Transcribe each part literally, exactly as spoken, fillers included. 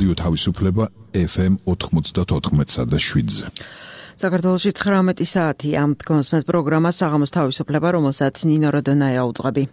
რადიო თავისუფლება ეფ ემ ოთხმოცდაოთხ და შვიდზე. საქართველოში ცხრამეტი საათი ამ თქმის პროგრამა საღამოს თავისუფლება, რომელსაც ნინო როდონაია უძღვები.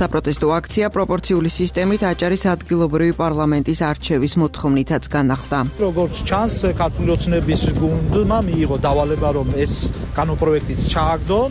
საპროტესტო აქცია პროპორციული სისტემით აჭარის ადგილობრივი პარლამენტის არჩევის მოთხოვნითაც განახლდა. როგორც ჩანს, ქართული ოცნების გუნდმა მიიღო დავალება, რომ ეს კანონპროექტიც ჩააგდონ.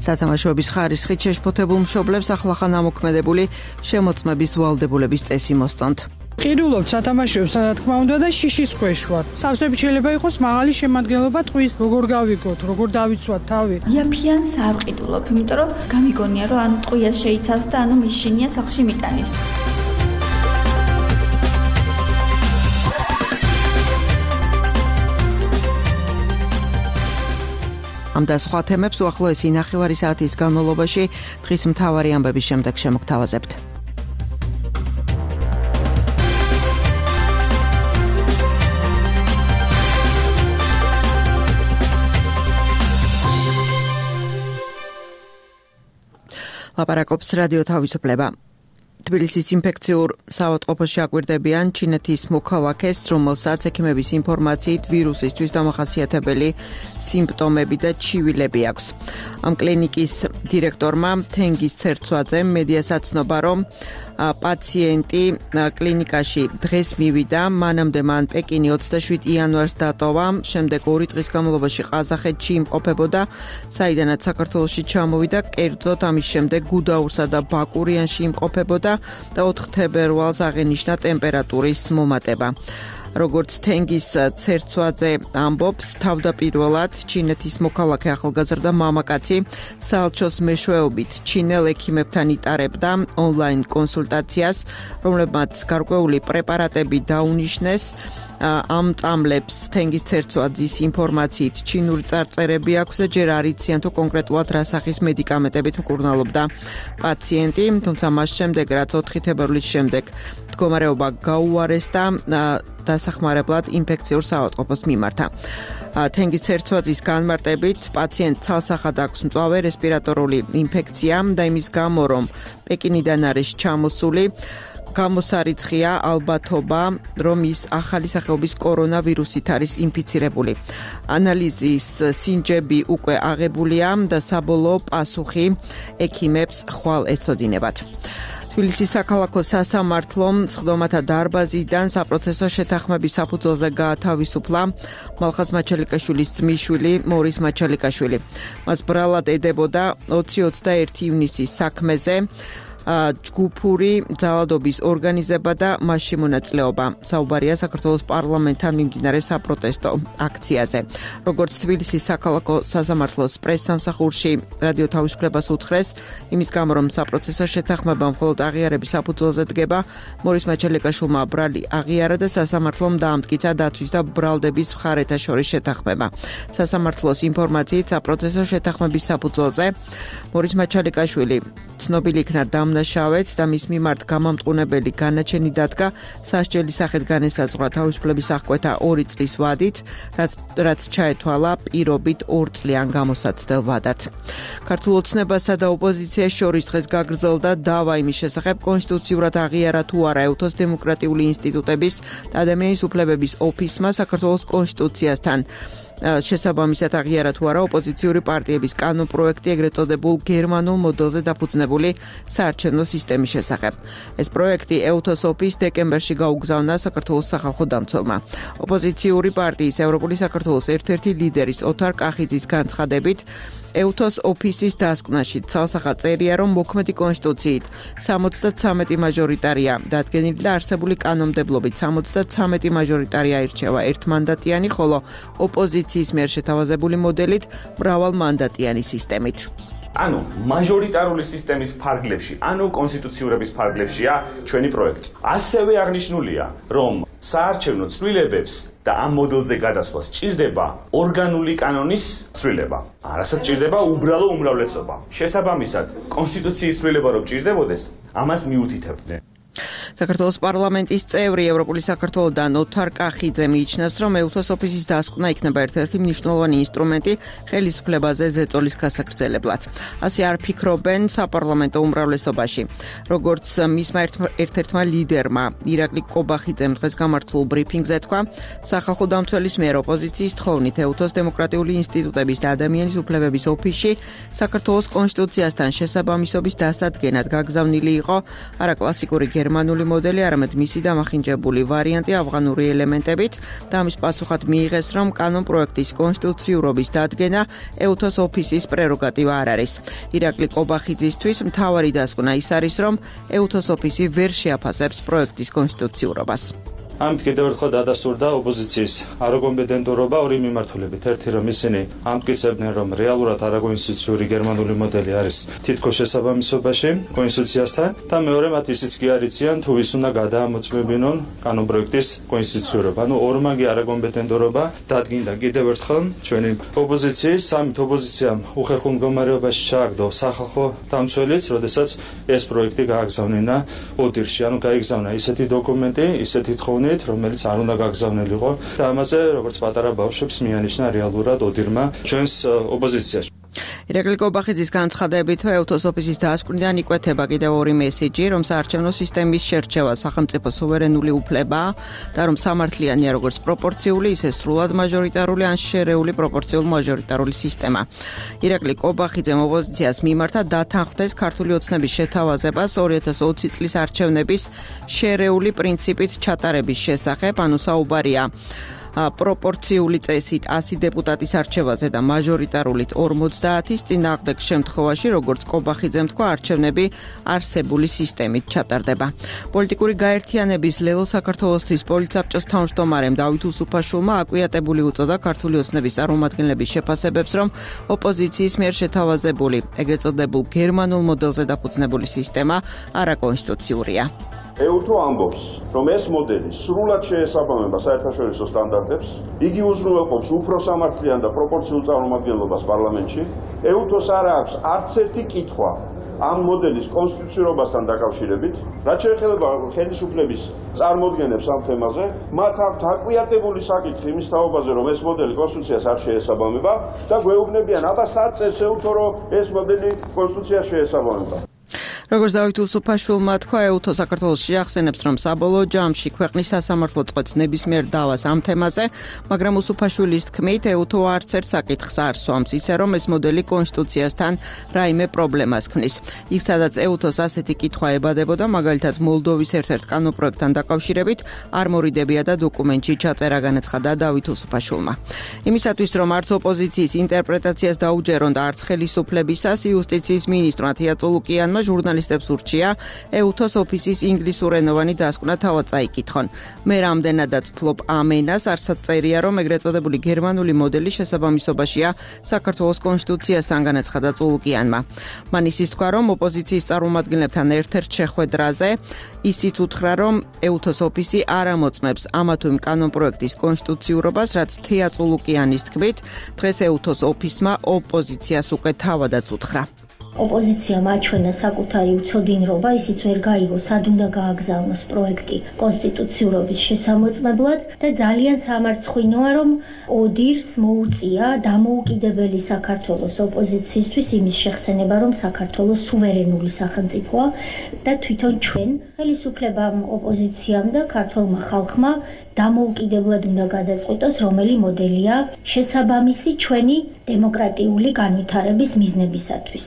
სათამაშოების ხარისხით შეშფოთებულ მშობლებს ახლახან ამოქმედებული შემოწმების ვალდებულების წესი მოსწონთ. ყიდულობთ სათამაშოებს, რა თქმა უნდა და შიშის ქვეშ ვარ. სავსებით შეიძლება იყოს მაღალი შემადგენლობა ტყვის, როგორ გავიგოთ, როგორ დავიცვათ თავი. იაფიანს არ ვყიდულობ, იმიტომ რომ გამიგონია, რომ ანუ ტყვიას შეიცავს და ანუ მიშინია სახლში მიტანის. ამ და სხვა თემებს უახლოესი ნახევარი საათის განმავლობაში დღის მთავარი ამბების შემდეგ შემოგთავაზებთ. ლაპარაკობს რადიო თავისუფლება. თბილისის ინფექციურ საავადმყოფოში აკვირდებიან ჩინეთის მოქალაქეს, რომელსაც ექიმების ინფორმაციით ვირუსისთვის დამახასიათებელი სიმპტომები და ჩივილები აქვს. ამ კლინიკის დირექტორმა თენგიზ ცერცვაძემ მედიას აცნობა, რომ პაციენტი კლინიკაში დღეს მივიდა, მანამდე მან პეკინი ოცდაშვიდი იანვარს დატოვა, შემდეგ ორი დღის განმავლობაში ყაზახეთში იმყოფებოდა, საიდანაც საქართველოში ჩამოვიდა, კერძოდ ამის შემდეგ გუდაურსა და ბაკურიანში იმყოფებოდა და ოთხ თებერვალს აღენიშნა ტემპერატურის მომატება. როგორც თენგიზ ცერცვაძე ამბობს, თავდაპირველად ჩინეთის მოქალაქე ახალგაზრდა მამაკაცი საელჩოს მეშვეობით ჩინელ ექიმებთან იტარებდა ონლაინ კონსულტაციას, რომლებმაც გარკვეული პრეპარატები დაუნიშნეს. ამ წამლებს თენგიზ ცერცვაძის ინფორმაციით ჩინური წარწერები აქვს და ჯერ არ იციან თუ კონკრეტულად რა სახის მედიკამენტებით მკურნალობდა პაციენტი, თუმცა მას შემდეგ, რაც ოთხი თებერვლის შემდეგ მდგომარეობა გაუარესდა, დასახმარებლად ინფექციურ საავადმყოფოს მიმართა. თენგიზ ცერცვაძის განმარტებით, პაციენტს ცალსახად აქვს მწვავე რესპირატორული ინფექცია და იმის გამო, რომ პეკინიდან არის ჩამოსული, გამოსარიცხია ალბათობა, რომ ის ახალი სახეობის კორონავირუსით არის ინფიცირებული. ანალიზის სინჯები უკვე აღებულია და საბოლოო პასუხი ექიმებს ხვალ ეცოდინებათ. თბილისის საქალაქო სასამართლომ სხდომათა დარბაზიდან საპროცესო შეთანხმების საფუძველზე გაათავისუფლა მალხაზ მაჩალიკაშვილის ძმისშვილი მორის მაჩალიკაშვილი. მას ბრალად ედებოდა ოცი ოცდაერთი ივნისის საქმეზე ჯგუფური ძალადობის ორგანიზება და მასში მონაწილეობა. საუბარია საქართველოს პარლამენტთან მიმდინარე საპროტესტო აქციაზე. როგორც თბილისის საქალაქო სასამართლოს პრესსამსახურში რადიო თავისუფლებას უთხრეს, იმის გამო, რომ საპროცესო შეთანხმება მხოლოდ აღიარების საფუძველზე დგება, მორის მაჩალიკაშვილმა ბრალი აღიარა და სასამართლომ დაამტკიცა დაცვის და ბრალდების მხარეთა შორის შეთანხმება. სასამართლოს ინფორმაციით საპროცესო შეთანხმების საფუძველზე მორის მაჩალიკაშვილი ცნობილი იქნა დამნაშავედ და მის მიმართ გამამტყუნებელი განაჩენი დადგა სასჯელი სახით განესაზღვრა თავისუფლების აღკვეთა ორი წლის ვადით, რაც ჩაეთვალა პირობით ორ წლიან გამოსაცდელ ვადად. ქართულ ოცნებასა და ოპოზიციას შორის დღეს გაგრძელდა დავა იმის შესახებ, კონსტიტუციურად აღიარა თუ არა ეუთოს დემოკრატიული ინსტიტუტების და ადამიანის უფლებების ოფისმა საქართველოს კონსტიტუციასთან შესაბამისად აღიარა თუ არა ოპოზიციური პარტიების კანონპროექტი ეგრეთ წოდებულ გერმანულ მოდელზე დაფუძნებული საარჩევნო სისტემის შესახებ. ეს პროექტი ეუთოს ოფისს დეკემბერში გაუგზავნა საქართველოს სახალხო დამცველმა. ოპოზიციური პარტიის ევროპული საქართველოს ერთ-ერთი ლიდერის ოთარ კახიძის განცხადებით, ეუთოს ოფისის დასკვნაში ცალსახად წერია, რომ მოქმედი კონსტიტუციით სამოცდათვრამეტი მაჟორიტარია დადგენილი და არსებული კანონმდებლობით სამოცდათვრამეტი მაჟორიტარია ირჩევა ერთმანდატიანი, ხოლო ოპოზიციის მიერ შეთავაზებული მოდელით მრავალმანდატიანი სისტემით. ანუ მაჟორიტარული სისტემის ფარგლებში, ანუ კონსტიტუციურების ფარგლებშია ჩვენი პროექტი. ასევე აღნიშნულია, რომ საარჩევნო ცვლილებებს და ამ მოდელზე გადასვლა სჭირდება ორგანული კანონის ცვლილება. არასდროს სჭირდება უბრალო უმრავლესობა. შესაბამისად, კონსტიტუციის ცვლილება რომ ჭირდებოდეს, ამას მიუთითებდნენ. საქართველოს პარლამენტის წევრი ევროპული საქართველოდან ოთარ კახიძე მიიჩნევს, რომ ეუთოს ოფისის დასკვნა იქნება ერთ-ერთი მნიშვნელოვანი ინსტრუმენტი ხელისუფლებაზე ზეწოლის გასაგრძელებლად. ასე არ ფიქრობენ საპარლამენტო უმრავლესობაში. როგორც მისმა ერთ-ერთმა ლიდერმა ირაკლი კობახიძემ დღეს გამართულ ბრიფინგზე თქვა, სახალხო დამცველის მიერ ოპოზიციის თხოვნით ეუთოს დემოკრატიული ინსტიტუტების და ადამიანის უფლებების ოფისში საქართველოს კონსტიტუციასთან შესაბამისობის დასადგენად გაგზავნილი იყო არა კლასიკური გერმანული მოდელი, არამედ მისი დამახინჯებული ვარიანტი ავღანური ელემენტებით და ამის პასუხად მიიღეს, რომ კანონ პროექტის კონსტიტუციურობის დადგენა ეუთოს ოფისის პრეროგატივა არ არის. ირაკლი კობახიძისთვის მთავარი დასკვნა ის არის, რომ ეუთოს ოფისი ვერ შეაფასებს პროექტის კონსტიტუციურობას. ამით კიდევ ერთხელ დადასტურდა ოპოზიციის არაკომპეტენტურობა ორი მიმართულებით. ერთი რომ ისინი ამტკიცებდნენ, რომ რეალურად არაკონსტიტუციური გერმანული მოდელი არის თითქოს შესაბამისობაში კონსტიტუციასთან და მეორე მათ ისიც კი არიციან, თუ ის უნდა გადაამოწმებინონ კანონპროექტის კონსტიტუციურობა. ანუ ორმაგი არაკომპეტენტურობა დადგინდა კიდევ ერთხელ ჩვენი ოპოზიციის. სამით ოპოზიციამ უხერხულ მდგომარეობაში ჩააგდო სახალხო დამცველიც, როდესაც ეს პროექტი გააგზავნა ოდირში. ანუ გაიგზავნა ისეთი დოკუმენტი, ისეთი თხოვნით, რომელიც არ უნდა გაგზავნილიყო და ამაზე როგორც პატარა ბავშვებს მიანიშნა რეალურად ოდირმა ჩვენს ოპოზიციაში. ირაკლი კობახიძის განცხადებით, ეუთოს ოფისის დასკვნიდან იკვეთება კიდევ ორი მესიჯი, რომ საარჩევნო სისტემის შერჩევა სახელმწიფო სუვერენული უფლებაა და რომ სამართლიანია როგორც პროპორციული, ისე სრულად მაჟორიტარული ან შერეული პროპორციულ-მაჟორიტარული სისტემა. ირაკლი კობახიძემ ოპოზიციას მიმართა დათანხმდეს ქართული ოცნების შეთავაზებას ორი ათას ოცი წლის არჩევნების შერეული პრინციპით ჩატარების შესახებ, ანუ საუბარია პროპორციული წესით ასი დეპუტატის არჩევაზე და მაჟორიტარულით ორმოცდაათის წინააღმდეგ შემთხვევაში, როგორც კობახიძემ თქვა, არჩევნები არსებული სისტემით ჩატარდება. პოლიტიკური გაერთიანების ლელო საქართველოსთვის პოლიცაბჭოს თავმჯდომარემ დავით უსუფაშვილმა აკვიატებული უწოდა ქართული ოცნების წარმომადგენლების შეფასებებს, რომ ოპოზიციის მიერ შეთავაზებული, ეგრეთ წოდებულ გერმანულ მოდელზე დაფუძნებული სისტემა არაკონსტიტუციურია. ეუთო ამბობს, რომ ეს მოდელი სრულად შეესაბამება საერთაშორისო სტანდარტებს, იგი უზრუნველყოფს უფრო სამართლიან და პროპორციულ წარმომადგენლობას პარლამენტში. ეუთოს არ აქვს არც ერთი კითხვა ამ მოდელის კონსტიტუციურობასთან დაკავშირებით, რაც შეეხება ხელისუფლების წარმოდგენებს ამ თემაზე, მათ აქვთ აკვიატებული საკითხი იმის თაობაზე, რომ ეს მოდელი კონსტიტუციას არ შეესაბამება და გვეუბნებიან, აბა სად წეს ეუთო, რომ ეს მოდელი კონსტიტუციას შეესაბამება. როგორც დავით უსუფაშვილმა თქვა, ეუთო საქართველოში ახსენებს, რომ საბოლოო ჯამში ქვეყნის სასამართლო წყვეტს ნებისმიერ დავას ამ თემაზე, მაგრამ უსუფაშვილის თქმით, ეუთო არც ერთ საკითხს არ სვამს, ისე რომ ეს მოდელი კონსტიტუციასთან რაიმე პრობლემას ქმნის. იქ სადაც ეუთოს ასეთი კითხვა ებადებოდა, მაგალითად მოლდოვის ერთ-ერთ კანონპროექტთან დაკავშირებით, არ მორიდებია და დოკუმენტში ჩაწერა, განაცხადა დავით უსუფაშვილმა. იმისათვის, რომ არც ოპოზიციის ინტერპრეტაციას დაუჯერონ და არც ხელისუფლებისას, იუსტიციის მინისტრმა თია წულუკიანმა ჟურნალისტებს ურჩია ეუთოს ოფისის ინგლისურენოვანი დასკვნა თავად წაიკითხონ. მე რამდენადაც ვფლობ ამ ენას, არსად წერია, რომ ეგრეთ წოდებული გერმანული მოდელი შესაბამისობაშია საქართველოს კონსტიტუციასთან, განაცხადა წულუკიანმა. მან ისიც თქვა, რომ ოპოზიციის წარმომადგენლებთან ერთ-ერთ შეხვედრაზე ისიც უთხრა, რომ ეუთოს ოფისი არ ამოწმებს ამა თუ იმ კანონპროექტის კონსტიტუციურობას, რაც თეა წულუკიანის თქმით, დღეს ეუთოს ოფისმა ოპოზიციას უკვე თავადაც უთხრა. ოპოზიციამ აჩვენა საკუთარი უცოდინრობა, ისიც ვერ გაიგო, სად უნდა გააგზავნოს პროექტი კონსტიტუციურობის შესამოწმებლად და ძალიან სამარცხვინოა, რომ ოდირს მოუწია დამოუკიდებელი საქართველოს ოპოზიციისთვის იმის შეხსენება, რომ საქართველოს სუვერენული სახელმწიფოა და თვითონ ჩვენ ხელისუფლებამ, ოპოზიციამ და ქართველმა ხალხმა დამოუკიდებლად უნდა გადაწყვიტოს, რომელი მოდელია შესაბამისი ჩვენი დემოკრატიული განვითარების მიზნებისათვის.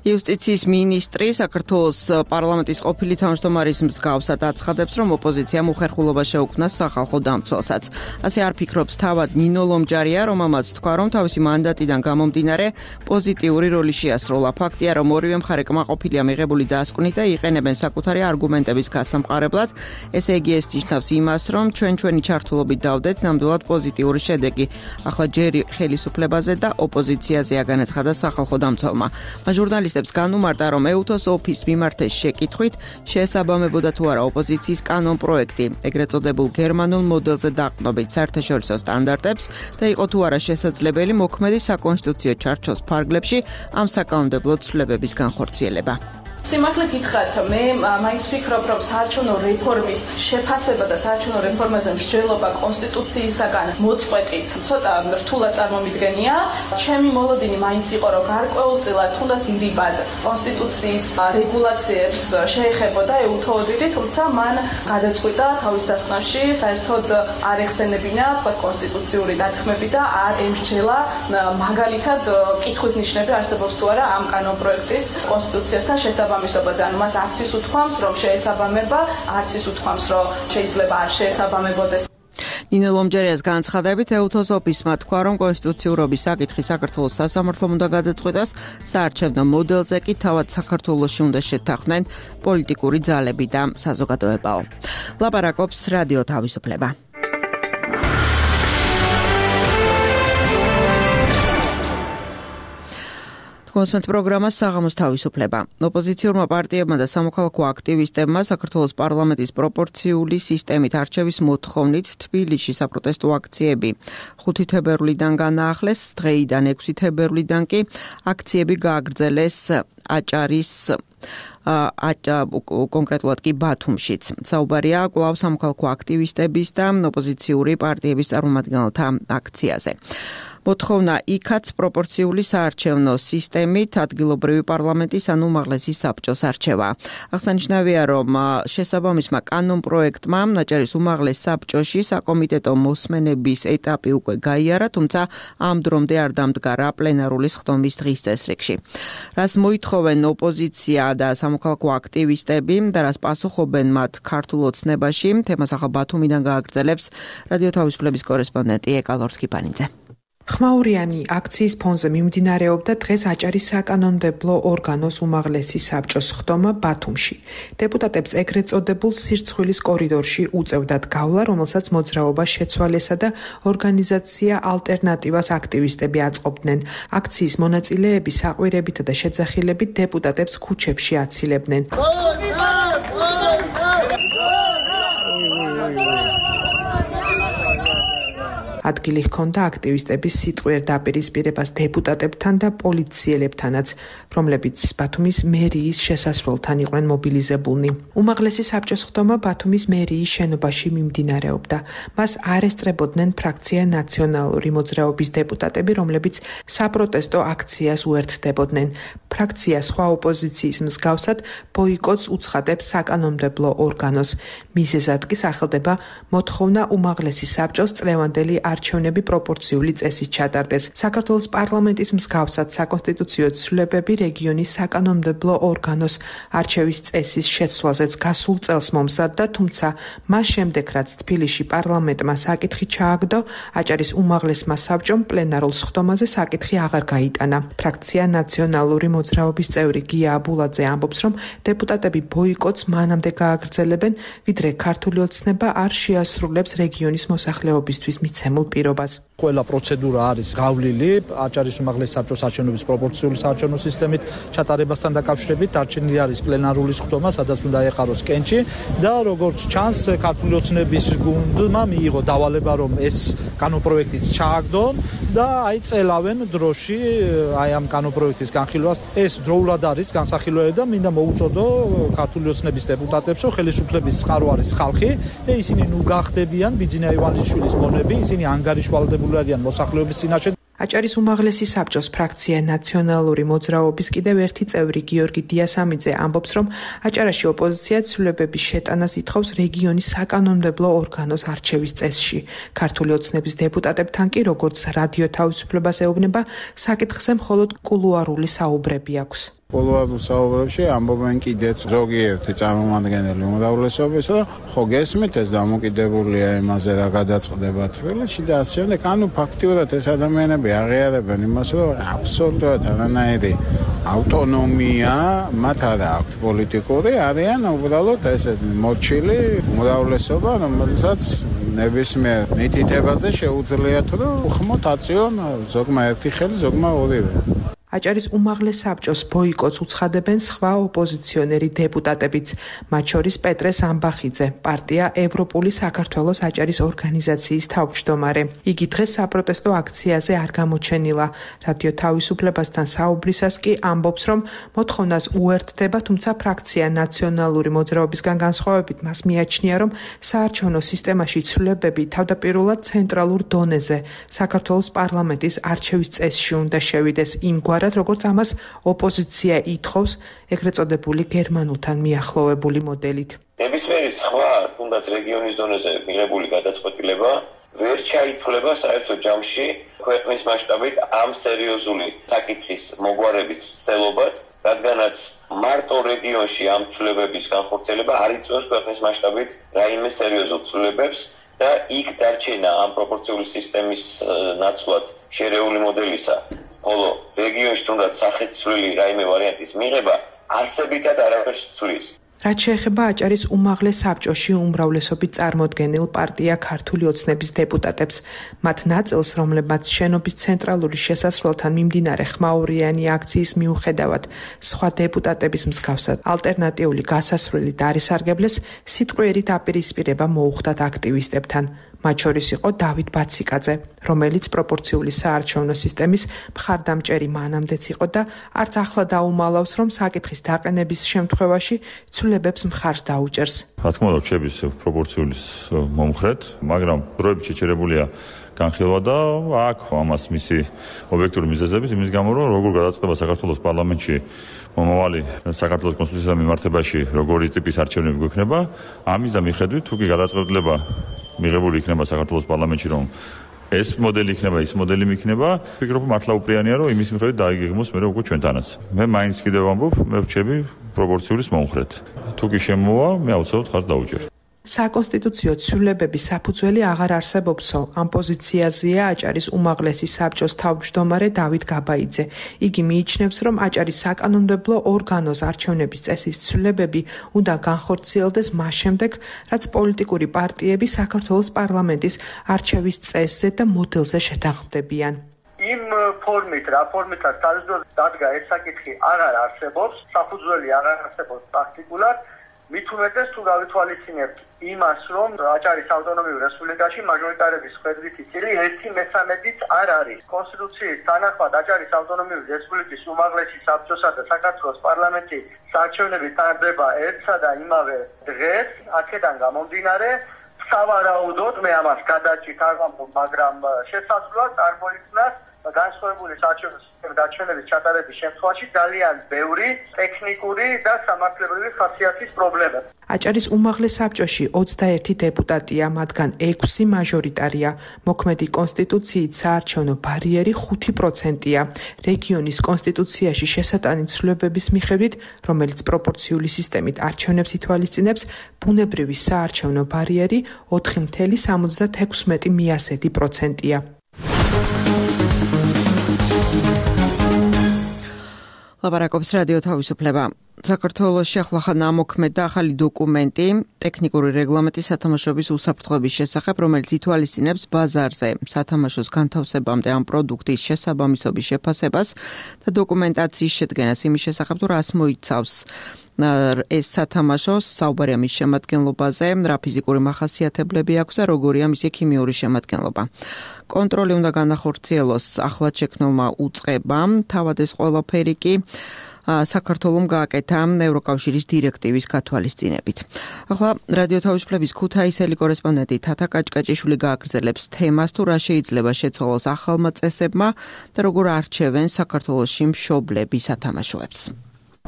იუსტიციის მინისტრი საქართველოს პარლამენტის ყოფილი თავმჯდომარის მსგავსად აცხადებს, რომ ოპოზიციამ უხერხულობა შეუქმნა სახალხო დამცველსაც. ასე არ ფიქრობს თავად ნინო ლომჯარია, რომელმაც თქვა, რომ თავისი მანდატიდან გამომდინარე პოზიტიური როლი შეასრულა. ფაქტია, რომ ორივე მხარე კმაყოფილია მიღებული დასკვნით და იყენებენ საკუთარი არგუმენტების გასამყარებლად. ესე იგი ეს ნიშნავს იმას, რომ ჩვენ ჩვენი ჩართულობით დავდეთ ნამდვილად პოზიტიური შედეგი. ახლა ჯერ ხელისუფლებაზე და ოპოზიციაზეა განაცხადა სახალხო დამცველმა. მას ჟურნალისტებს განუმარტა, რომ ეუთოს ოფის მიმართეს შეკითხვით შეესაბამებოდა თუ არა ოპოზიციის კანონ პროექტი, ეგრეთ წოდებულ გერმანულ მოდელზე დაყრდნობით საერთაშორისო სტანდარტებს და იყო თუ არა შესაძლებელი მოქმედი საკონსტიტუციო ჩარჩოს ფარგლებში ამ საკანონმდებლო ცვლილებების განხორციელება. სიმართლე გითხრათ, მე მაინც ვფიქრობ, რომ საარჩევნო რეფორმის შეფასება და საარჩევნო რეფორმაზე მსჯელობა კონსტიტუციისაგან მოწყვეტით ცოტა რთულად წარმომიდგენია. ჩემი მოლოდინი მაინც იყო, რომ გარკვეულწილად თუნდაც ირიბად კონსტიტუციის რეგულაციებს შეეხებოდა ეუთო ოდირი, თუმცა მან გადაწყვიტა თავის დასკვნაში საერთოდ არ ეხსენებინა თქვა კონსტიტუციური დათქმები და არ ემსჯელა მაგალითად კითხვის ნიშნები არსებობს თუ არა ამ კანონპროექტის კონსტიტუციასთან შესაბამისობაში. ანუ მას არც ის უთქვამს, რომ შეესაბამება, არც ის უთქვამს, რომ შეიძლება არ შეესაბამებოდეს. ნინო ლომჯარიას განცხადებით ეუთოს ოფისმა თქვა, რომ კონსტიტუციურობის საკითხი საქართველოს სასამართლომ უნდა გადაწყვიტოს, საარჩევნო მოდელზე კი თავად საქართველოში უნდა შეთანხმდნენ პოლიტიკური ძალები და საზოგადოებაო. ლაპარაკობს რადიო თავისუფლება. კონსმეთ პროგრამა საღამოს თავისუფლება. ოპოზიციურმა პარტიებმა და სამოქალაქო აქტივისტებმა საქართველოს პარლამენტის პროპორციული სისტემით არჩევის მოთხოვნით თბილისში საპროტესტო აქციები ხუთი თებერვლიდან განაახლეს, დღეიდან ექვსი თებერვლიდან კი აქციები გააგრძელეს აჭარის კონკრეტულად კი ბათუმშიც. საუბარია კვლავ სამოქალაქო აქტივისტების და ოპოზიციური პარტიების წარმომადგენელთა აქციაზე. მოთხოვნა იქაც პროპორციული საარჩევნო სისტემით ადგილობრივი პარლამენტის ან უმაღლესი საბჭოს არჩევა. აღსანიშნავია, რომ შესაბამისმა კანონპროექტმა აჭარის უმაღლეს საბჭოში საკომიტეტო მოსმენების ეტაპი უკვე გაიარა, თუმცა ამ დრომდე არ დამდგარა პლენარული სხდომის დღის წესრიგში. რას მოითხოვენ ოპოზიცია და სამოქალაქო აქტივისტები და რას პასუხობენ მათ ქართულ ოცნებაში, თემას ახლა ბათუმიდან გააგრძელებს რადიო თავისუფლების კორესპონდენტი ეკა ლორთქიფანიძე. ხმაურიანი აქციის ფონზე მიმდინარეობდა დღეს აჭარის საკანონმდებლო ორგანოს უმაღლესი საბჭოს სხდომა ბათუმში. დეპუტატებს ეგრეთ წოდებულ სირცხვილის კორიდორში უწევდათ გავლა, რომელსაც მოძრაობა შეცვალესა და ორგანიზაცია ალტერნატივას აქტივისტები აწყობდნენ. აქციის მონაწილეები საყვირებითა და შეძახილებით დეპუტატებს ქუჩებში აცილებდნენ. ადგილი ჰქონდა აქტივისტების სიტყვიერ დაპირისპირებას დეპუტატებთან და პოლიციელებთანაც, რომლებიც ბათუმის მერიის შესასვლელთან იყვნენ მობილიზებულნი. უმაღლესი საბჭოს სხდომა ბათუმის მერიის შენობაში მიმდინარეობდა. მას არ ესწრებოდნენ ფრაქცია ნაციონალური მოძრაობის დეპუტატები, რომლებიც საპროტესტო აქციას უერთდებოდნენ. ფრაქცია სხვა ოპოზიციის მსგავსად ბოიკოტს უცხადებს საკანონმდებლო ორგანოს. მიზეზად კი სახელდება მოთხოვნა უმაღლესი საბჭოს წლევანდელი არჩევნები პროპორციული წესით ჩატარდეს. საქართველოს პარლამენტის მსგავსად საკონსტიტუციო ცვლილებები რეგიონის საკანონმდებლო ორგანოს არჩევის წესის შეცვლაზეც გასულ წელს მომზადდა, თუმცა მას შემდეგ რაც თბილისში პარლამენტმა საკითხი ჩააგდო, აჭარის უმაღლესმა საბჭომ პლენარულ სხდომაზე საკითხი აღარ გაიტანა. ფრაქცია ნაციონალური მოძრაობის წევრი გია აბულაძე ამბობს, რომ დეპუტატები ბოიკოტს მანამდე გააგრძელებენ, ვიდრე ქართული ოცნება არ შეასრულებს რეგიონის მოსახლეობისთვის მიცემულ პირობას. ყველა პროცედურა არის გავლილი აჭარის უმაღლეს საბჭოს არჩევნების პროპორციული საარჩევნო სისტემით ჩატარებასთან დაკავშირებით. დარჩენილი არის პლენარული სხდომა, სადაც უნდა ეყაროს კენჭი და როგორც ჩანს, ქართული ოცნების გუნდმა მიიღო დავალება, რომ ეს კანონპროექტიც ჩააგდო და აი წელავენ დროში აი ამ კანონპროექტის განხილვას. ეს დროულად არის განსახილველი და მინდა მოუწოდო ქართული ოცნების დეპუტატებს, რომ ხელისუფლების წყარო არის ხალხი და ისინი ნუ გახდებიან ბიძინა ივანიშვილის მონები, ისინი ანგარიშვალდებული არიან მოსახლეობის წინაშე. აჭარის უმაღლესი საბჭოს ფრაქცია ნაციონალური მოძრაობის კიდევ ერთი წევრი გიორგი დიასამიძე ამბობს, რომ აჭარაში ოპოზიცია ცვლილებების შეტანას ითხოვს რეგიონის საკანონმდებლო ორგანოს არჩევის წესში. ქართული ოცნების დეპუტატებთან კი, როგორც რადიო თავისუფლებას ეუბნება, საკითხზე მხოლოდ კულუარული საუბრები აქვს. კულუარულ საუბრებში ამბობენ კიდეც ზოგიერთი წარმომადგენელი უმრავლესობის, რომ ხო გესმით ეს დამოკიდებულია იმაზე რა გადაწყდება თბილისში და ასე შემდეგ. ანუ ფაქტიურად ეს ადამიანები აღიარებენ იმას, რომ აბსოლუტურად არანაირი ავტონომია მათ არ აქვს პოლიტიკური, არიან უბრალოდ ესეთი მოჩილი უმრავლესობა, რომელსაც ნებისმიერ მითითებაზე შეუძლიათ რომ უხმოთ აწიონ ზოგმა ერთი ხელი, ზოგმა ორივე. აჭარის უმაღლეს საბჭოს ბოიკოტს უცხადებენ სხვა ოპოზიციონერი დეპუტატებიც, მათ შორის პეტრე სამბახიძე, პარტია ევროპული საქართველოს აჭარის ორგანიზაციის თავმჯდომარე. იგი დღეს საპროტესტო აქციაზე არ გამოჩენილა. რადიო თავისუფლებასთან საუბრისას კი ამბობს, რომ მოთხოვნას უერთდება, თუმცა ფრაქცია ნაციონალური მოძრაობისგან განსხვავებით მას მიაჩნია, რომ საარჩევნო სისტემაში ცვლილებები თავდაპირველად ცენტრალურ დონეზე, საქართველოს პარლამენტის არჩევის წესში უნდა შევიდეს იმგვარ როგორც ამას ოპოზიცია ითხოვს ეგრეთ წოდებული გერმანულთან მიახლოვებული მოდელით. ნებისმიერი სხვა, თუნდაც რეგიონის დონეზე მიღებული გადაწყვეტილება ვერ ჩაითვლება საერთო ჯამში ქვეყნის მასშტაბით ამ სერიოზული საკითხის მოგვარების ცდილობად, რადგანაც მარტო რეგიონში ამ ცვლილებების განხორციელება არ იწვევს ქვეყნის მასშტაბით რაიმე სერიოზულ ცვლილებებს და იქ დარჩენა ამ პროპორციული სისტემის ნაცვლად შერეული მოდელისა. ხოლო რეგიონში თუნდაც სახეცვლილი რაიმე ვარიანტის მიღება არსებითად არაფერს ცვლის. რაც შეეხება აჭარის უმაღლეს საბჭოში უმრავლესობით წარმოდგენილ პარტია ქართული ოცნების დეპუტატებს, მათ ნაწილს, რომლებმაც შენობის ცენტრალური შესასვლელთან მიმდინარე ხმაურიანი აქციის მიუხედავად სხვა დეპუტატების მსგავსად ალტერნატიული გასასვლელი დაარისარგებლეს, სიტყვიერი დაპირისპირება მოუხდათ აქტივისტებთან. მათ შორის იყო დავით ბაციკაძე, რომელიც პროპორციული საარჩევნო სისტემის მხარდამჭერი მანამდეც იყო და არც ახლა დაუმალავს, რომ საკითხის დაყენების შემთხვევაში ცვლილებებს მხარს დაუჭერს. რა თქმა უნდა, რჩების პროპორციული მომხრედ, მაგრამ დროებით შეჩერებულია განხილვა და აქ ამას მისი ობიექტური მიზეზების იმის გამო, რომ როგორ გადაწყდება საქართველოს პარლამენტში მომავალი საქართველოს კონსტიტუციის მიმართებაში როგორი ტიპის არჩევნები გვექნება, ამის და მიხედვით თუ კი გადაწყვეტილება მიღებული იქნება საქართველოს პარლამენტში, რომ ეს მოდელი იქნება, ის მოდელი იქნება, ვფიქრობ მართლა უპრიანია, რომ იმის მიხედვით დაიგეგმოს მე უკვე ჩვენთანაც. მე მაინც კიდევ ვამბობ, მე ვრჩები პროპორციული მომხრედ. თუ კი შემოვა, მე აუცილებლად ხარს დაუჭერ. საკონსტიტუციო ცვლილებების საფუძველი აღარ არსებობსო, ამ პოზიციაზეა აჭარის უმაღლესი საბჭოს თავმჯდომარე დავით გაბაიძე. იგი მიიჩნევს, რომ აჭარის საკანონმდებლო ორგანოს არჩევნების წესის ცვლილებები უნდა განხორციელდეს მას შემდეგ, რაც პოლიტიკური პარტიები საქართველოს პარლამენტის არჩევის წესზე და მოდელზე შეთანხმდებიან. იმ ფორმით, რა ფორმითაც თავისუფლად დადგა ეს საკითხი აღარ არსებობს, საფუძველი აღარ არსებობს პრაქტიკულად. მით უმეტეს თუ გავითვალისწინებთ იმას, რომ აჭარის ავტონომიურ რესპუბლიკაში მაჟორიტარების ხედვითი წილი ერთი მესამედიც არ არის. კონსტიტუციის თანახმად აჭარის ავტონომიური რესპუბლიკის უმაღლესი საბჭოსა და საქართველოს პარლამენტი საარჩევნები ტარდება ერთსა და იმავე დღეს, აქედან გამომდინარე, სავარაუდოდ მე ამას გადაჭით არ ვამბობ, მაგრამ შესაძლოა წარმოიქმნას განსხვავებული საარჩევნო სისტემის დაჩვენების ჩატარების შემთხვევაში ძალიან ბევრი ტექნიკური და სამართლებრივი ხასიათის პრობლემა. აჭარის უმაღლეს საბჭოში ოცდაერთი დეპუტატია, მათგან ექვსი მაჟორიტარია. მოქმედი კონსტიტუციით საარჩევნო ბარიერი ხუთი პროცენტია. რეგიონის კონსტიტუციაში შესატანი ცვლილებების მიხედვით, რომელიც პროპორციული სისტემით არჩევნებს ითვალისწინებს, ბუნებრივი საარჩევნო ბარიერი ოთხი virgulă სამოცდაექვსი მიასედი პროცენტია. ლაპარაკობს რადიო თავისუფლება. საქართველოში ახლახან ამოქმედა ახალი დოკუმენტი ტექნიკური რეგლამენტის სათამაშოების უსაფრთხოების შესახებ, რომელიც ითვალისწინებს ბაზარზე სათამაშოს განთავსებამდე ამ პროდუქტის შესაბამისობის შეფასებას და დოკუმენტაციის შედგენას იმის შესახებ, თუ რას მოიცავს ეს სათამაშო, საუბარია მის შემადგენლობაზე, რა ფიზიკური მახასიათებლები აქვს და როგორია მისი ქიმიური შემადგენლობა. კონტროლი უნდა განახორციელოს ახლად შექმნილმა უწყებამ, თავად ეს ყველაფერი კი საქართველოს გააკეთა ევროკავშირის დირექტივის გათვალისწინებით. ახლა რადიო თავისუფლების ქუთაისელი კორესპონდენტი თათა კაჭკაჭიშვილი გააგრძელებს თემას, თუ რა შეიძლება შეცვალოს ახალმა წესებმა და როგორ არჩევენ საქართველოში მშობლები სათამაშოებს.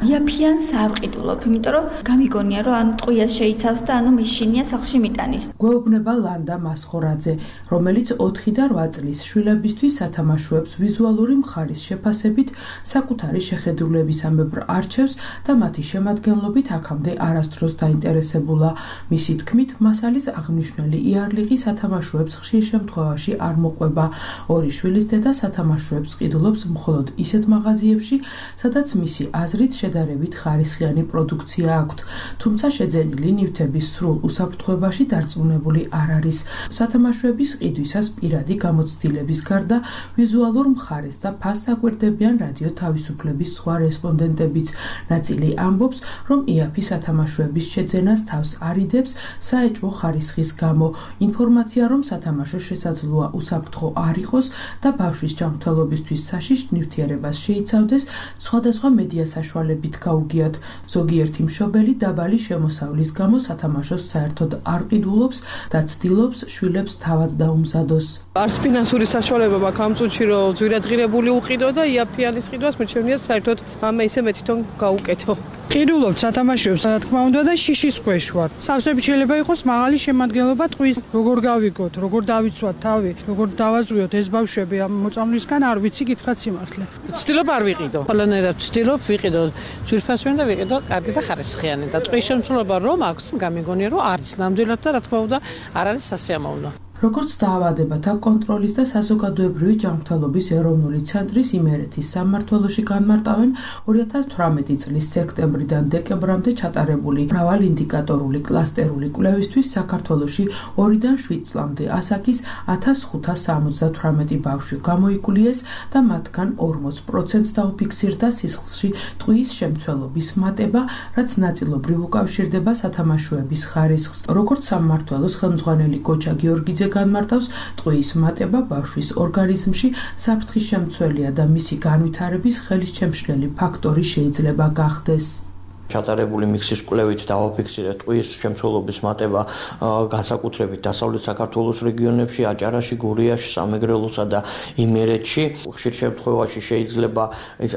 იაფიანს არ ვყიდულობ, იმიტომ რომ გამიგონია რომ ანუ ტყვიას შეიცავს და ანუ მიშინია სახლში მიტანის. გვეუბნება ლანდა მასხორაძე, რომელიც ოთხი და რვა წლის შვილებისთვის სათამაშოებს ვიზუალური მხარის შეფასებით საკუთარი შეხედულებისამებრ არჩევს და მათი შემადგენლობით აქამდე არასდროს დაინტერესებულა. მისი თქმით, მასალის აღნიშნული იარლიღი სათამაშოებს ხშირ შემთხვევაში არ მოყვება. ორი შვილის დედა სათამაშოებს ყიდულობს მხოლოდ ისეთ მაღაზიებში, სადაც მისი აზრით შედარებით ხარისხიანი პროდუქცია აქვთ, თუმცა შეძენილი ნივთების სრულ უსაფრთხოებაში დარწმუნებული არ არის. სათამაშოების ყიდვისას პირადი გამოცდილების გარდა ვიზუალურ მხარეს და ფასს აკვირდებიან რადიო თავისუფლების სხვა რესპონდენტებიც. ნაწილი ამბობს, რომ იაფი სათამაშოების შეძენას თავს არიდებს საეჭვო ხარისხის გამო. ინფორმაცია, რომ სათამაშო შესაძლოა უსაფრთხო არ იყოს და ბავშვის ჯანმრთელობისთვის საშიშ ნივთიერებას შეიცავდეს, სხვადასხვა მედია საშუალებით გაუგიათ. ზოგიერთი მშობელი დაბალი შემოსავლის გამო სათამაშოს საერთოდ არ ყიდულობს და ცდილობს შვილებს თავად დაუმზადოს. არც ფინანსური საშუალება მაქვს ამ წუთში რომ ძვირადღირებული უყიდო და იაფიანის ყიდვას მერჩევნია საერთოდ ამე ისე მე თვითონ გაუკეთო. ყიდულობთ სათამაშოებს, რა თქმა უნდა და შიშის ქვეშ ვარ. სავსებით შეიძლება იყოს მაღალი შემადგენლობა ტყვის, როგორ გავიგოთ, როგორ დავიცვათ თავი, როგორ დავაზღვიოთ ეს ბავშვები ამ მოწამვლისგან არ ვიცი გითხრათ სიმართლე. ვცდილობ არ ვიყიდო. ყველანაირად ვცდილობ ვიყიდო ძვირფასვიანი და ვიყიდო კარგი და ხარისხიანი და ტყვის შემცველობა რომ აქვს, გამიგონია რომ არის ნამდვილად და რა თქმა უნდა არ არის სასიამოვნო. როგორც დაავადებათა კონტროლის და საზოგადოებრივი ჯანმრთელობის ეროვნული ცენტრის იმერეთის სამმართველოში განმარტავენ ორი ათას თვრამეტი წლის სექტემბრიდან დეკემბრამდე ჩატარებული მრავალინდიკატორული კლასტერული კვლევისთვის საქართველოში ორიდან შვიდ წლამდე ასაკის ათას ხუთას სამოცდათვრამეტი ბავშვი გამოიკულიეს და მათგან ორმოც პროცენტს დაუფიქსირდა სისხლში ტყვის შემცველობის მატება, რაც ნაწილობრივ უკავშირდება სათამაშოების ხარისხს. როგორც სამმართველოს ხელმძღვანელი გოჩა გიორგიძე განმარტავს, ტყვის მატება ბავშვის ორგანიზმში საფრთხის შემცველია და მისი განვითარების ხელისჩემშლელი ფაქტორი შეიძლება გახდეს. ჩატარებული მიქსის კვლევით დავაფიქსირეთ ტყვის შემცველობის მატება განსაკუთრებით დასავლეთ საქართველოს რეგიონებში, აჭარაში, გურიაში, სამეგრელოსა და იმერეთში. ხშირ შემთხვევაში შეიძლება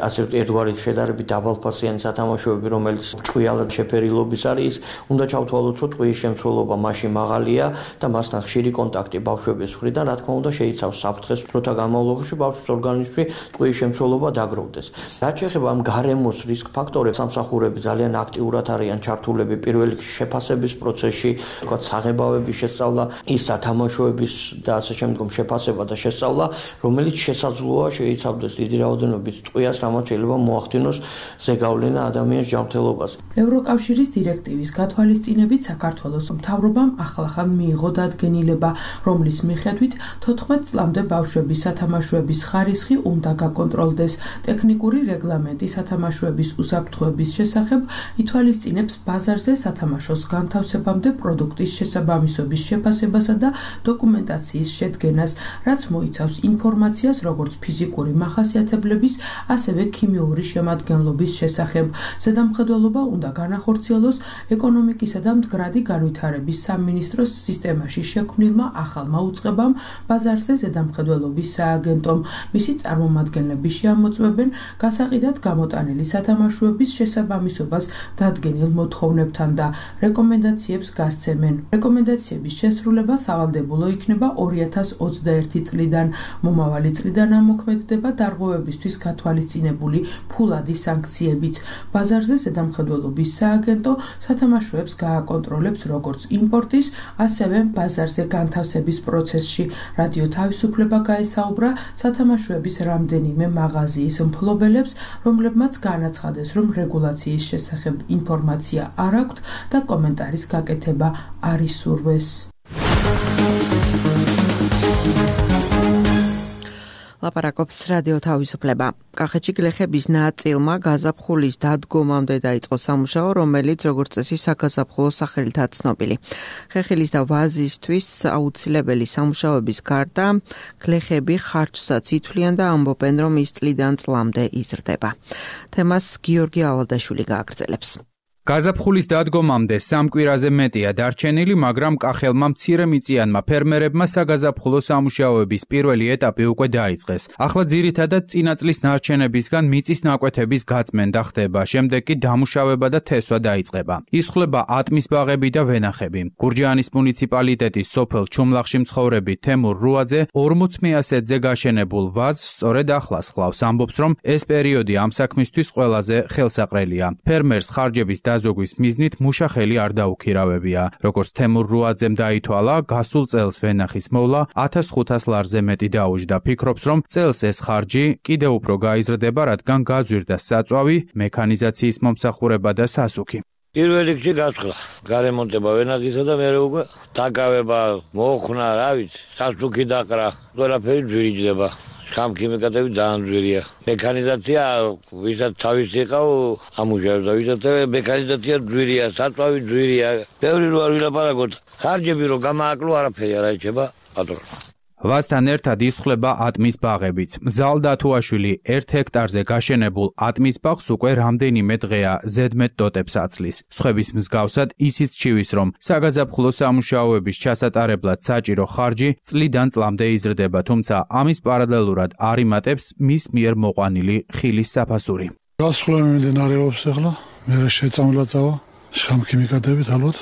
ასე ერთგვარი შედარებით დაბალფასიანი სათამაშოები, რომელიც ჭკვიალად შეფერილობის არის, უნდა ჩავთვალოთ, რომ ტყვის შემცველობა მასში მაღალია და მასთან ხშირი კონტაქტი ბავშვების მხრიდან, რა თქმა უნდა, შეიცავს საფრთხეს დროთა განმავლობაში ბავშვის ორგანიზმში ტყვის შემცველობა დაგროვდეს. რაც შეეხება ამ გარემოს რისკ ფაქტორებს, სამსახურები ძალიან აქტიურად არიან ჩართულები პირველ რიგში შეფასების პროცესში, თქვა საღებავების შესწავლა, ის სათამაშოების და ასე შემდგომ შეფასება და შესწავლა, რომელიც შესაძლოა შეიცავდეს დიდი რაოდენობით ტყვიას, რამაც შეიძლება მოახდინოს ზეგავლენა ადამიანის ჯანმრთელობაზე. ევროკავშირის დირექტივის გათვალისწინებით საქართველოს მთავრობამ ახლახან მიიღო დადგენილება, რომლის მიხედვით თოთხმეტ წლამდე ბავშვების სათამაშოების ხარისხი უნდა გაკონტროლდეს. ტექნიკური რეგლამენტი სათამაშოების უსაფრთხოების შესახებ ითვალისწინებს ბაზარზე სათამაშოს განთავსებამდე პროდუქტის შესაბამისობის შეფასებასა და დოკუმენტაციის შედგენას, რაც მოიცავს ინფორმაციას როგორც ფიზიკური მახასიათებლების, ასევე ქიმიური შემადგენლობის შესახებ. ზედამხედველობა უნდა განახორციელოს ეკონომიკისა და მდგრადი განვითარების სამინისტროს სისტემაში შექმნილმა ახალმა უწყებამ ბაზარზე ზედამხედველობის სააგენტომ. მისი წარმომადგენლები შეამოწმებენ გასაყიდად გამოტანილი სათამაშოების შესაბამისობას დადგენილ მოთხოვნებთან და რეკომენდაციებს გასცემენ. რეკომენდაციების შესრულება სავალდებულო იქნება ორი ათას ოცდაერთი წლიდან. მომავალი წლიდან ამოქმედდება დარღვევებისთვის გათვალისწინებული ფულადი სანქციებიც. ბაზარზე ზედამხედველობის სააგენტო სათამაშოებს გააკონტროლებს როგორც იმპორტის, ასევე ბაზარზე განთავსების პროცესში. რადიო თავისუფლება გაესაუბრა სათამაშოების რამდენიმე მაღაზიის მფლობელებს, რომლებმაც განაცხადეს, რომ რეგულაციის შესახებ ინფორმაცია არ აქვთ და კომენტარის გაკეთება არ ისურვეს. ლაპარაკობს რადიო თავისუფლება. კახეთში გლეხების ნაწილმა გაზაფხულის დადგომამდე დაიწყო სამუშაო, რომელიც როგორც წესი საგაზაფხულო სახელითაა ცნობილი. ხეხილის და ვაზისთვის აუცილებელი სამუშაოების გარდა გლეხები ხარჯსაც ითვლიან და ამბობენ, რომ ის წლიდან წლამდე იზრდება. თემას გიორგი ალადაშვილი გააგრძელებს. გაზაფხულის დადგომამდე სამ კვირაზე მეტია დარჩენილი, მაგრამ კახელმა მცირემიწიანმა ფერმერებმა საგაზაფხულო სამუშაოების პირველი ეტაპი უკვე დაიწყეს. ახლა ძირითადად წინა წლის ნარჩენებისგან მიწის ნაკვეთების გაწმენდა ხდება, შემდეგ კი დამუშავება და თესვა დაიწყება. ისხლება ატმის ბაღები და ვენახები. გურჯაანის მუნიციპალიტეტის სოფელ ჩუმლახში მცხოვრები თემურ რუაძე ორმოც მეასეთზე გაშენებულ ვაზს სწორედ ახლას ხლავს, ამბობს, რომ ეს პერიოდი ამ საქმისთვის ყველაზე ხელსაყრელია. ფერმერს ხარჯების დაზოგვის მიზნით მუშა ხელი არ დაუქირავებია. როგორც თემურ რუაძემ დაითვალა, გასულ წელს ვენახის მოვლა ათას ხუთას ლარზე მეტი დაუჯდა. ფიქრობს, რომ წელს ეს ხარჯი კიდევ უფრო გაიზრდება, რადგან გაძვირდა საწვავი, მექანიზაციის მომსახურება და სასუქი. პირველ რიგში გასხლა, გარემონტება ვენახისა და მე უკვე დაკავება, მოხნა, რა ვიცი, სასუქი დაკრა, ყველაფერი ძვირიჯდება. შხამქიმიკატები ძალიან ძვირია. მექანიზაცია, ვისაც თავისი ყავ, ამუშავებს და ვისაც მექანიზაცია ძვირია, საწვავი ძვირია. ბევრი რო არ ვილაპარაკოთ, ხარჯები რო გამააკლო, არაფერი არ აიჩება, პატრონო. ვაზთან ერთად ისხლება ატმის ბაღებიც. ზალ დათუაშვილი ერთ ჰექტარზე გაშენებულ ატმის ბაღს უკვე რამდენიმე დღეა ზედმეტ დოტებს აცლის. სხვების მსგავსად ისიც ჩივის, რომ საგაზაფხულო სამუშაოების ჩასატარებლად საჭირო ხარჯი წლიდან წლამდე იზრდება, თუმცა ამის პარალელურად არ იმატებს მის მიერ მოყვანილი ხილის საფასური. გასხლა მიმდინარეობს ახლა, მე შეწამლა წავა, შხამქიმიკატებით ალბათ.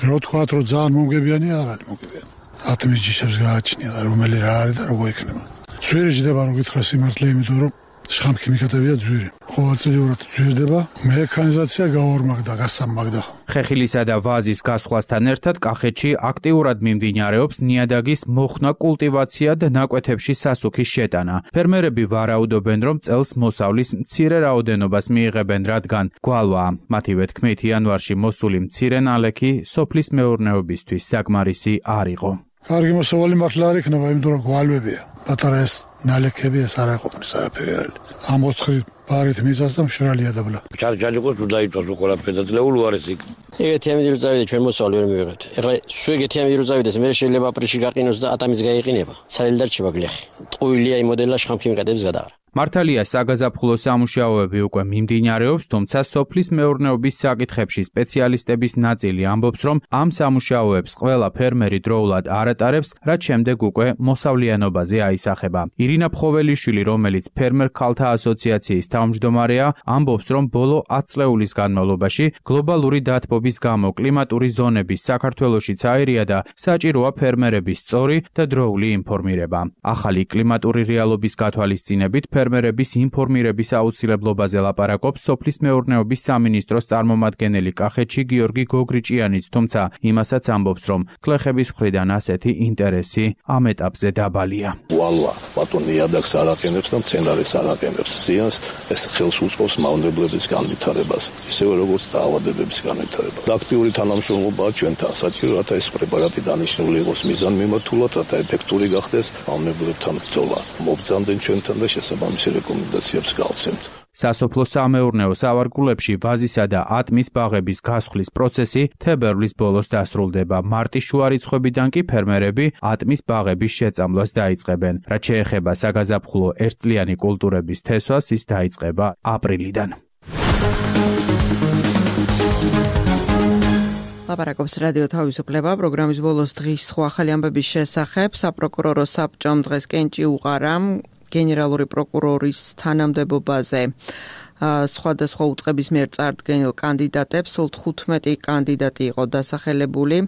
რო თქვათ, რომ ძალიან მომგებიანი არ არის მომგებიანი. ატმის ჯიშებს გააჩნია და რომელი რა არის და როგორ იქნება. ძვირი ჯდება რომ გითხრა სიმართლე, იმიტომ რომ შხამქიმიკატებია ძვირი. ყოველწლიურად ძვირდება, მექანიზაცია გაორმაგდა, გასამაგდა. ხეხილისა და ვაზის გასხვასთან ერთად კახეთში აქტიურად მიმდინარეობს ნიადაგის მოხსნა, კულტივაცია და ნაკვეთებში სასუქის შეტანა. ფერმერები ვარაუდობენ, რომ წელს მოსავლის მცირე რაოდენობას მიიღებენ, რადგან გვალვა. მათივე თქმით, იანვარში მოსული მცირე ნალექი სოფლის მეურნეობისთვის საკმარისი არ იყო. კარგი მოსავალი მართლა არ იქნება, იმიტომ რომ გვალვებია. პატარა ეს ნალექები ეს არ აყოფნის არაფერი არ არის. ამ ოთხი ბარით მიწას და მშრალია დაბლა. ჩარჯაჯიკოს თუ დაიწვას ყველაფერი და ძლეულ უარეს იქ. ეგეთი ამით რო წავიდე ჩვენ მოსავალი ვერ მივიღებთ. ეხლა სულ ეგეთი ამით რო წავიდეს, მე შეიძლება აპრილში გაყინოს და ატამის გაიყინება. ცალილი დარჩება გლეხი. ტყუილია იმ მოდელა შხამქიმიკატებს გადააღრა. მართალია საგაზაფხულო სამუშაოები უკვე მიმდინარეობს, თუმცა სოფლის მეურნეობის საკითხებში სპეციალისტების ნაწილი ამბობს, რომ ამ სამუშაოებს ყველა ფერმერი დროულად არ ატარებს, რაც შემდეგ უკვე მოსავლიანობაზე აისახება. ირინა ფხოველიშვილი, რომელიც ფერმერ ქალთა ასოციაციის თავმჯდომარეა, ამბობს, რომ ბოლო ათ წლეულის განმავლობაში გლობალური დათბობის გამო კლიმატური ზონების საქართველოშიც აირია და საჭიროა ფერმერების სწორი და დროული ინფორმირება. ახალი კლიმატური რეალობის გათვალისწინებით ფერმერების ინფორმირების აუცილებლობაზე ლაპარაკობს სოფლის მეურნეობის სამინისტროს წარმომადგენელი კახეთში გიორგი გოგრიჭიანიც, თუმცა იმასაც ამბობს, რომ გლეხების მხრიდან ასეთი ინტერესი ამ ეტაპზე დაბალია. ვალვა ბატონ ნიადაგს არ აყენებს და მცენარეს არ აყენებს. ზიანს ეს ხელს უწყობს მავნებლების განვითარებას, ისევე როგორც დაავადებების განვითარებას. აქტიური თანამშრომლობაა ჩვენთან საჭირო, რათა ეს პრეპარატი დანიშნული იყოს მიზანმიმართულად, რათა ეფექტური გახდეს მავნებლებთან ბრძოლა. მობრძანდნენ ჩვენთან და შესაბამისად ამის რეკომენდაციებს გავცემთ. სასოფლო სამეურნეო სავარგულებში ვაზისა და ატმის ბაღების გასხლის პროცესი თებერვლის ბოლოს დასრულდება. მარტის შუა რიცხვებიდან კი ფერმერები ატმის ბაღების შეწამლას დაიწყებენ. რაც შეეხება საგაზაფხულო ერთწლიანი კულტურების თესვას, ის დაიწყება აპრილიდან. ლაპარაკობს რადიო თავისუფლება, პროგრამის ბოლოს დღის სხვა ახალი ამბების შესახებ. საპროკურორო საბჭომ დღეს კენჭი უყარა გენერალური პროკურორის თანამდებობაზე სხვადასხვა უწყების მიერ წარდგენილ კანდიდატებს. სულ თხუთმეტი კანდიდატი იყო დასახელებული.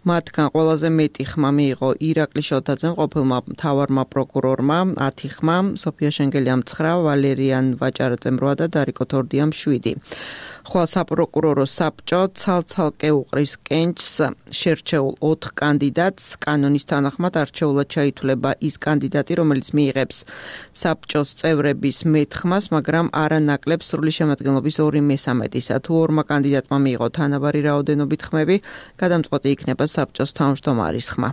მათგან ყველაზე მეტი ხმა მიიღო ირაკლი შოთაძემ, ყოფილმა მთავარმა პროკურორმა ათი ხმა, სოფია შენგელიამ ცხრა, ვალერიან ვაჭარაძემ რვა და დარიკო თორდიამ შვიდი. ხვალ საპროკურორო საბჭო ცალ-ცალკე უყრის კენჭს შერჩეულ ოთხ კანდიდატს. კანონის თანახმად არჩეულად ჩაითვლება ის კანდიდატი, რომელიც მიიღებს საბჭოს წევრების მეტ ხმას, მაგრამ არა ნაკლებს სრული შემადგენლობის ორი მესამედისა. თუ ორმა კანდიდატმა მიიღო თანაბარი რაოდენობით ხმები, გადამწყვეტი იქნება საბჭოს თავმჯდომარის ხმა.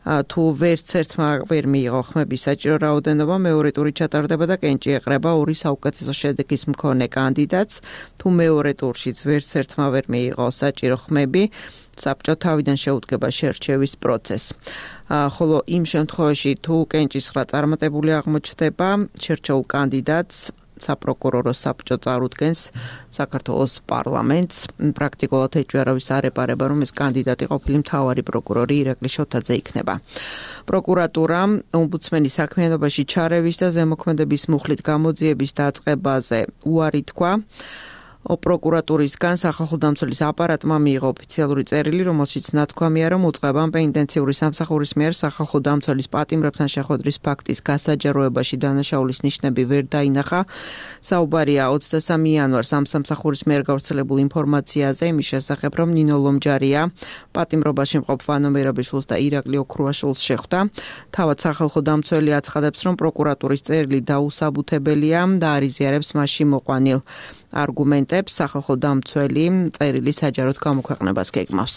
თუ ვერც ერთმა ვერ მიიღო ხმების საჭირო რაოდენობა, მეორე ტური ჩატარდება და კენჭი ეყრება ორი საუკეთესო შედეგის მქონე კანდიდატს. თუ მეორე ტურშიც ვერც ერთმა ვერ მიიღო საჭირო ხმები, საბჭო თავიდან შეუდგება შერჩევის პროცესს. ხოლო იმ შემთხვევაში, თუ კენჭის ხრა წარმატებული აღმოჩნდება, შერჩეულ კანდიდატს საპროკურორო საბჭო წარუდგენს საქართველოს პარლამენტს. პრაქტიკულად ეჭვერავის არ ეპარება, რომ ეს კანდიდატი ყოფილი მთავარი პროკურორი ირაკლი შოთაძე იქნება. პროკურატურამ ომბუდსმენის საქმიანობაში ჩარევის და ზემოქმედების მუხლით გამოძიების დაწყებაზე უარი თქვა. პროკურატურისგან სახალხო დამცველის აპარატმა მიიღო ოფიციალური წერილი, რომელშიც ნათქვამია, რომ უწყებამ პენიტენციური სამსახურის მიერ სახალხო დამცველის პატიმრებთან შეხვედრის ფაქტის გასაჯაროებაში დანაშაულის ნიშნები ვერ დაინახა. საუბარია ოცდასამი იანვარს ამ სამსახურის მიერ გავრცელებულ ინფორმაციაზე იმის შესახებ, რომ ნინო ლომჯარია პატიმრობაში მყოფ ვანო მერაბიშვილს და ირაკლი ოქრუაშვილს შეხვდა. თავად სახალხო დამცველი აცხადებს, რომ პროკურატურის წერილი დაუსაბუთებელია და არ იზიარებს მასში მოყვანილ არგუმენტებს. სახალხო დამცველი წერილი საჯაროდ გამოქვეყნებას გეგმავს.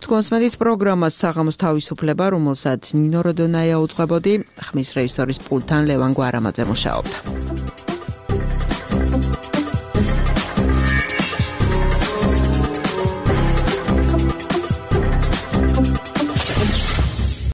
თქვენს მედით პროგრამას საღამოს თავისუფლება, რომელსაც ნინო როდონაია უძღვებოდი, ხმის რეჟისორის პულტთან ლევან გვარამაძე მუშაობდა.